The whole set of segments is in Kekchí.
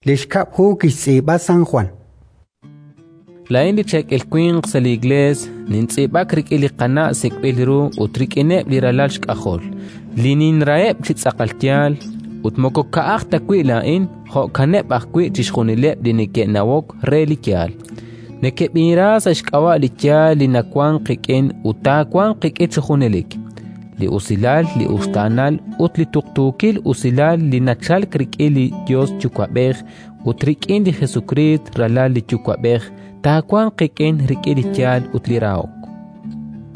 Li xkab' hu kixtz'iib'a San Jwan. Laa'in li cheekel winq sa' li Iklees nintz'iib'ak rik'in li Qana' sik'b'il ru ut rik'ineb' li ralal xk'ajol, li ninraheb' chi tz'aqal yaal, ut moko ka'aj ta wi' laa'in, jo'kaneb' ajwi' chixjunileb' li neke'nawok re li yaal. Nekeb'inra sa' xk'ab'a' li yaal li nawank qik'in ut taawanq qik'in chi junelik. Li usilal, li uxtaanal ut li tuqtuukil usilal li nachalk rik'in li Yos Yuwa'b'ej ut rik'in li Jesukriist, Ralal li Yuwa'b'ej, taawanq qik'in rik'in li yaal ut li rahok.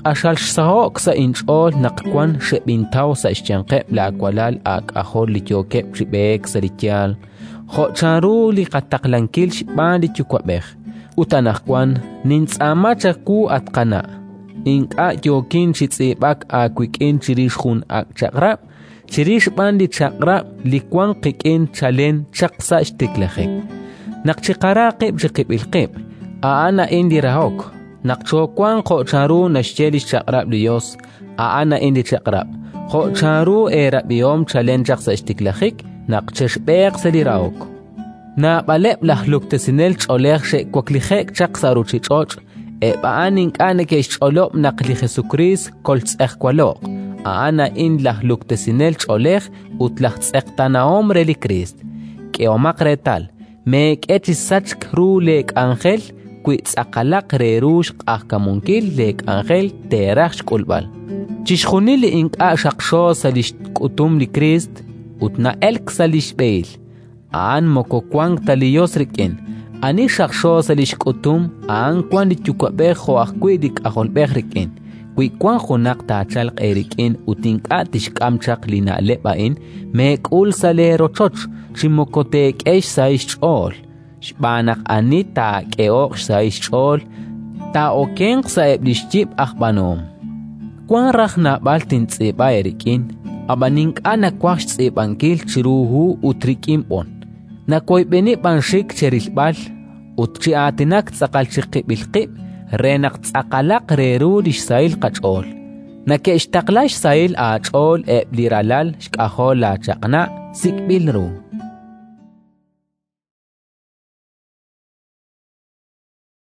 Q'axal xsaho'k sa' inch'ool naq wan xeb'intaw sa' xyanqeb' laawalal aak'ajol li yookeb' chi b'eek sa' li yaal, jo' chanru li qataqlankil xb'aan li Yuwa'b'ej. Ut anaqwan nintz'aama chawu, at qana', ink'a' yookin chi tz'iib'ak aawik'in chirix jun ak' chaq'rab', chirix b'an li chaq'rab' li wank qik'in chalen chaq sa' xtiklajik: naq chiqara qib' chiqib'il qib'. A'an a'in li rahok, naq choowanq jo' chanru naxye li xchaq'rab' li Yos. A'an a'in li chaq'rab', jo' chanru eerab'ihom chalen chaq sa' xtiklajik, naq chexb'eeq sa' li rahok. Naab'aleb' laj luktesinel ch'oolej xe'waklije'k chaq sa' ruuchich'och'; eb' a'an ink'a' neke'xch'olob' naq li Jesukriist koltz'ejwalo'q. A'an a'in laj luktesinel ch'oolej ut laj tz'eqtaanahom re li Kriist. K'ehomaq reetal, meek'e chi sachk ru leek'anjel wi tz'aqalaq re ru xq'ajkamunkil leek'anjel teeraj xk'ulb'al. Chixjunil li ink'a' xaqxo sa' li xk'utum li Kriist ut na'elk sa' li xb'ehil, a'an moko wank ta li Yos rik'in. Ani xaqxo sa' li xk'utum, a'an wank li Yuwa'b'ej jo' ajwi' li K'ajolb'ej rik'in. Wi wank junaq taachalq eerik'in ut ink'a' tixk'am chaq li na'leb' a'in, meek'ul sa' leerochoch chi moko teek'e xsahil xch'ool. Xb'aan naq ani taak'ehoq xsahil xch'ool, taa'okenq sa'eb' li xyib' aj b'aanuhom. Wank raj naab'al tintz'iib'a eerik'in, ab'an ink'a' nawaj xtz'iib'ankil chiru hu ut rik'in b'on. Nawoyb'eni b'an xik cherilb'al ut chi aatinak tz'aqal chiqib'il qib' re naq tz'aqalaq re ru li xsahil qach'ool. Neke'xtaqla xsahil aach'ool eb' li ralal xk'ajol laachaq'na' sik'b'il ru.